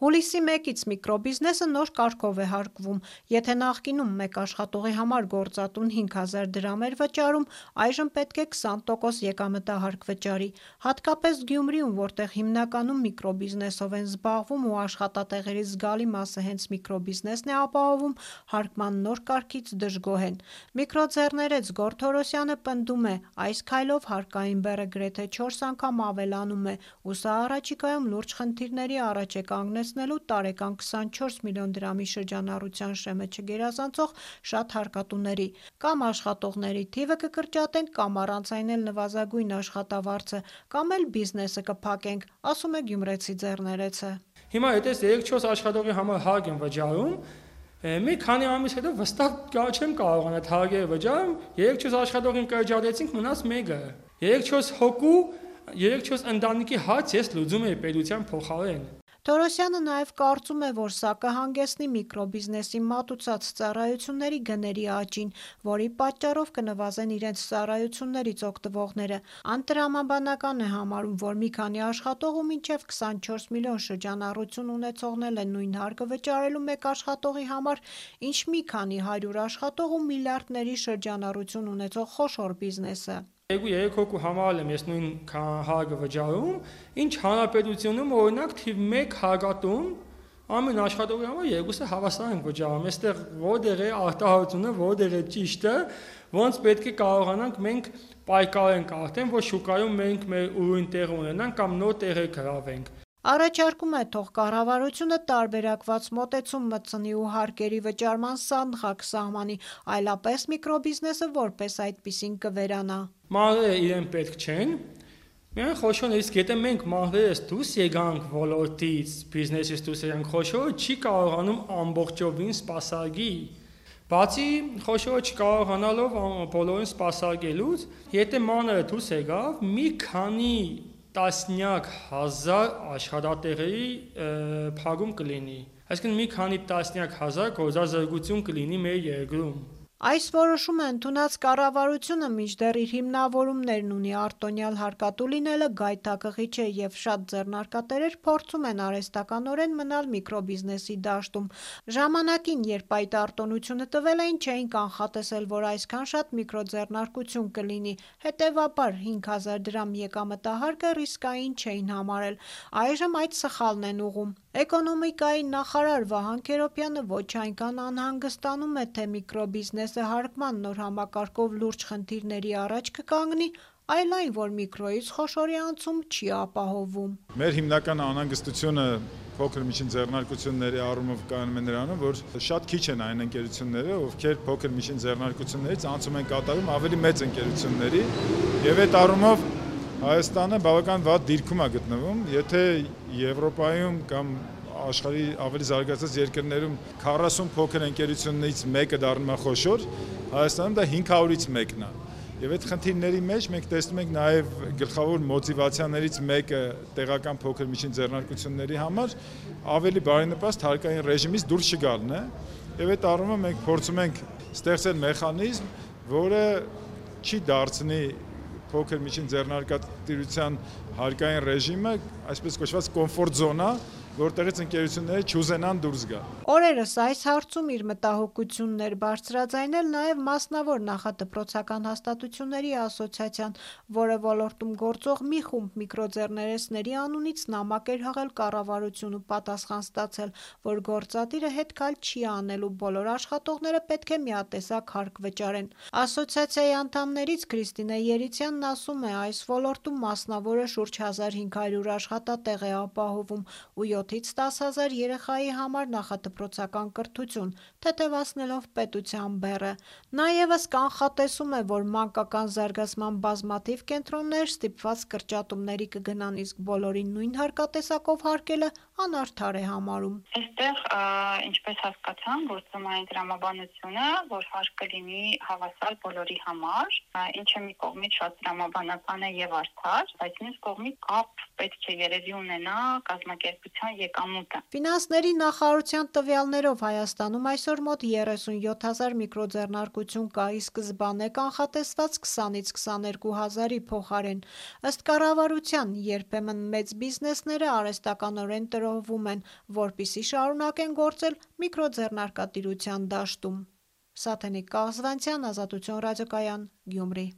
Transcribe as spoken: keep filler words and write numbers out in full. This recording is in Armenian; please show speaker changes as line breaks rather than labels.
Հուլիսի մեկից միկրոբիզնեսը նոր կարգով է հարկվում։ Եթե նախկինում մեկ աշխատողի համար գործատուն հինգ հազար դրամ էր վճարում, այժմ պետք է քսան տոկոս եկամտահարկ վճարի։ Հատկապես Գյումրիում, որտեղ հիմնականում միկրոբիզնեսով են զբաղվում ու աշխատատեղերի զգալի մասը հենց միկրոբիզնեսն է ապահովում, հարկման նոր կարգից դժգոհ են։ Միկրոձեռներեց Գոռ Թորոսյանը պնդում է, այս քայլով հարկային բեռը գրեթե չորս անգամ ավելանում է, ու սա առաջիկայում լուրջ խնդիրների առաջ է կանգնեցնելու տարեկան քսանչորս միլիոն դրամի շրջանառության շեմը չգերազանցող շատ հարկատուների։ Կամ աշխատողների թիվը կկրճատենք, կամ առանց այն էլ նվազագույն աշխատավարձը, կամ էլ բիզնեսը կփակենք, ասում է գյումրեցի ձեռներեցը։
Հիմա եթե երեք-չորս աշխատողի համար հարկ եմ վճարում, մի քանի ամիս հետո վստահ չեմ կարողանա հարկերը վճարեմ, երեք-չորս աշխատողին կրճատեցինք, մնաց մեկը։ երեք-չորս հոգու, երեք-չորս ընտանիքի հարց ես լուծում եմ պետության փոխարեն։
Թորոսյանը նաև կարծում է, որ սա կհանգեցնի միկրոբիզնեսի մատուցած ծառայությունների գների աճին, որի պատճառով կնվազեն իրենց ծառայություններից օգտվողները։ Անտրամաբանական է համարում, որ մի քանի աշխատող ու մինչև քսանչորս միլիոն շրջանառություն ունեցողն է նույն հարկը վճարելու մեկ աշխատողի համար, ինչ մի քանի հարյուր աշխատող ու միլիարդների շրջանառություն ունեցող խոշոր բիզնեսը։
Երկու-երեք հոգու համար եմ ես նույն հարկը վճարում, ինչ հանրապետությունում օրինակ թիվ մեկ հարկատուն ամեն աշխատողի համար երկուսը հավասար ենք վճարում։ Այստեղ որտեղ է արտահայտությունը, որտեղ է ճիշտը, ոնց պետք է կարողանանք մենք պայքարենք արդեն, որ շուկայում մենք մեր ուրույն տեղ ունենանք կամ նոր տեղեր գրավենք։
Առաջարկում է թող կառավարությունը տարբերակված մոտեցում մտցնի ու հարկերի վճարման սանդղակ սահմանի, այլապես միկրոբիզնեսը որպես այդպիսին կվերանա։
Մանրերը իրեն պետք չեն, միայն խոշոր, իսկ եթե մենք մանրերս դուրս եկանք ոլորտից, բիզնեսից դուրս եկանք, խոշորը չի կարողանում ամբողջովին սպասարկի։ Բացի խոշորը չկարողանալով բոլորին սպասարկելուց, եթե մանրը դուրս եկավ, մի քանի տասնյակ հազար աշխատատեղերի փակում կլինի, այսինքն մի քանի տասնյակ հազար գործազրկություն կլինի մեր երկրում։
Այս որոշումը ընդունած կառավարությունը մինչդեռ իր հիմնավորումներն ունի, արտոնյալ հարկատու լինելը գայթակղիչ է և շատ ձեռնարկատերեր փորձում են արհեստականորեն մնալ միկրոբիզնեսի դաշտում։ Ժամանակին, երբ այդ արտոնությունը տվել էին, չէին կանխատեսել, որ այսքան շատ միկրոձեռնարկություն կլինի, հետևաբար հինգ հազար դրամ եկամտահարկը ռիսկային չէին համարել։ Այժմ այդ սխալն են ուղղում։ Էկոնոմիկայի նախարար Վահան Քերոբյանը ոչ այնքան անհանգստանում է, թե միկրոբիզնեսը հարկման նոր համակարգով լուրջ խնդիրների առաջ կկանգնի, այլ այն, որ միկրոյից խոշորի անցում չի ապահովվում։
Մեր հիմնական անհանգստությունը փոքր միջին ձեռնարկությունների առումով կայանում է նրանում, որ շատ քիչ են այն ընկերությունները, ովքեր փոքր միջին ձեռնարկություններից անցում են կատարում ավելի մեծ ընկերությունների, եւ այդ առումով Հայաստանը բավական վատ դիրքում է գտնվում, եթե Եվրոպայում կամ աշխարհի ավելի զարգացած երկրներում քառասուն փոքր ընկերություններից մեկը դառնում է խոշոր, Հայաստանում դա հինգ հարյուրից մեկն է։ Եվ այդ խնդիրների մեջ մենք տեսնում ենք նաև գլխավոր մոտիվացիաներից մեկը տեղական փոքր միջին ձեռնարկությունների համար ավելի բարենպաստ հարկային ռեժիմից դուրս չգալն է։ Եվ այդ առումով մենք փորձում ենք ստեղծել մեխանիզմ, որը չի դարձնի փոքր միջին ձեռնարկատիրության հարկային ռեժիմը, այսպես կոչված կոմֆորտ զոնա, որտեղից ընկերությունները չուզենան դուրս գալ։
Օրերս այս հարցում իր մտահոգությունն էր բարձրաձայնել նաև մասնավոր նախադպրոցական հաստատությունների ասոցիացիան, որը ոլորտում գործող մի խումբ միկրոձեռներեցների անունից նամակ էր հղել կառավարություն ու պատասխան ստացել, որ գործադիրը հետքայլ չի անելու, բոլոր աշխատողները պետք է միատեսակ հարկ վճարեն։ Ասոցիացիայի անդամներից Քրիստինե Երիցյանն ասում է, այս ոլորտում մասնավորը շուրջ հազար հինգ հարյուր աշխատատեղ է ապահովում ու յոթից տաս հազար երեխայի համար նախադպրոցական կրթություն, թեթևացնելով պետության բեռը։ Նա ևս կանխատեսում է, որ մանկական զարգացման բազմաթիվ կենտրոններ ստիպված կրճատումների կգնան, իսկ բոլորին նույն հարկատեսակով հարկելը անարդար է համարում։
Այստեղ, ինչպես հասկացան, գործում է այն տրամաբանությունը, որ հարկը լինի հավասար բոլորի համար, ինչը մի կողմից շատ տրամաբանական է եւ արդար, բայց մյուս կողմից կապ պետք է երևի ունենա կազմակերպության եկամուտը։
Ֆինանսների նախարարության տվյալներով Հայաստանում այսօր մոտ երեսունյոթ հազար միկրոձեռնարկություն կա, ի սկզբանե կանխատեսված քսանից քսաներկու հազարի փոխարեն։ Ըստ կառավարության, երբեմն մեծ բիզնեսները արհեստականորեն տրոհվում են, որպեսզի շարունակեն գործել միկրոձեռնարկատիրության դաշտում։ Սաթենիկ Կաղզվանցյան, Ազատություն ռադիոկայան, Գյումրի։